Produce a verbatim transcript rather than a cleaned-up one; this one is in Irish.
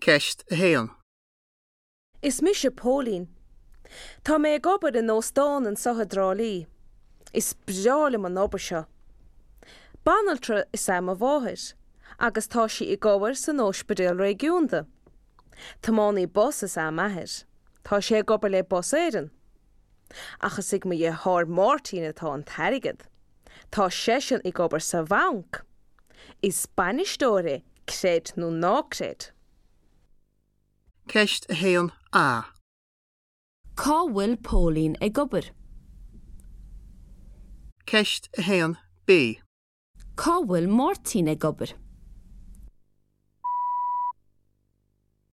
Ceist a haon. Is mise Póilín. Tá mé ag obair in óstán anseo i dTrá Lí. Is breá liom an obair seo. Banaltra is ea mo mháthair, agus tá sí ag obair san ospidéal réigiúnda. Tiománaí bus is ea m'athair. Tá sé ag obair le Bus Éireann. Ach is ag mo dheartháir Máirtín atá an t-airgead. Tá seisean ag obair sa bhanc. Is bainisteoir é, creid nó ná creid. Ceist a haon A. Cá bhfuil Póilín ag obair? Ceist a haon B. Cá bhfuil Máirtín ag obair?